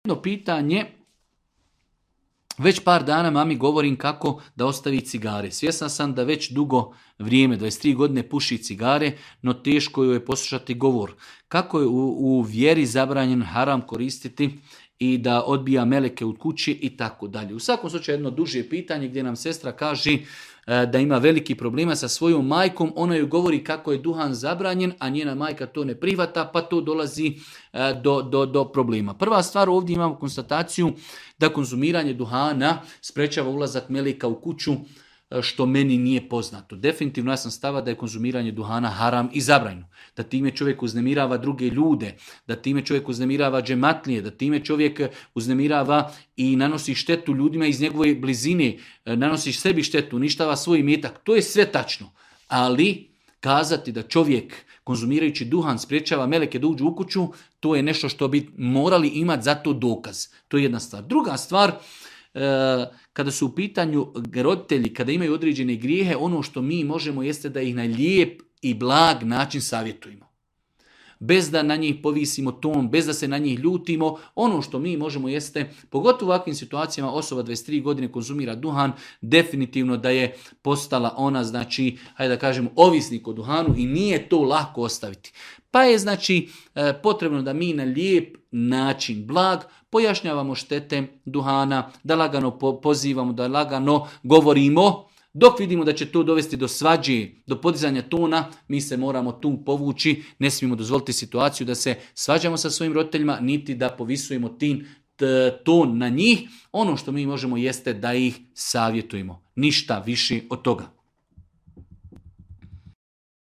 Jedno pitanje, već par dana mami govorim kako da ostavi cigare. Svjesna sam da već dugo vrijeme, 23 godine puši cigare, no teško joj je poslušati govor. Kako je u vjeri zabranjen haram koristiti i da odbija meleke u kući i tako dalje. U svakom slučaju jedno duže pitanje gdje nam sestra kaže da ima veliki problema sa svojom majkom, ona joj govori kako je duhan zabranjen, a njena majka to ne prihvata, pa to dolazi do problema. Prva stvar, ovdje imamo konstataciju da konzumiranje duhana sprečava ulazak meleka u kuću, što meni nije poznato. Definitivno ja sam stava da je konzumiranje duhana haram i zabranjeno. Da time čovjek uznemirava druge ljude, da time čovjek uznemirava džematlije, da time čovjek uznemirava i nanosi štetu ljudima iz njegove blizine, nanosi sebi štetu, uništava svoj imetak. To je sve tačno. Ali kazati da čovjek konzumirajući duhan sprječava meleke da uđu u kuću, to je nešto što bi morali imati za to dokaz. To je jedna stvar. Druga stvar, kada su u pitanju roditelji, kada imaju određene grijehe, ono što mi možemo jeste da ih na lijep i blag način savjetujemo. Bez da na njih povisimo ton, bez da se na njih ljutimo, ono što mi možemo jeste, pogotovo u ovakvim situacijama, osoba 23 godine konzumira duhan, definitivno da je postala ona, znači, hajde da kažemo, ovisnik o duhanu i nije to lako ostaviti. Pa je, znači, potrebno da mi na lijep način, blag, pojašnjavamo štete duhana, da lagano pozivamo, da lagano govorimo. Dok vidimo da će to dovesti do svađe, do podizanja tona, mi se moramo tu povući, ne smijemo dozvoliti situaciju da se svađamo sa svojim roditeljima, niti da povisujemo ton na njih. Ono što mi možemo jeste da ih savjetujemo. Ništa više od toga.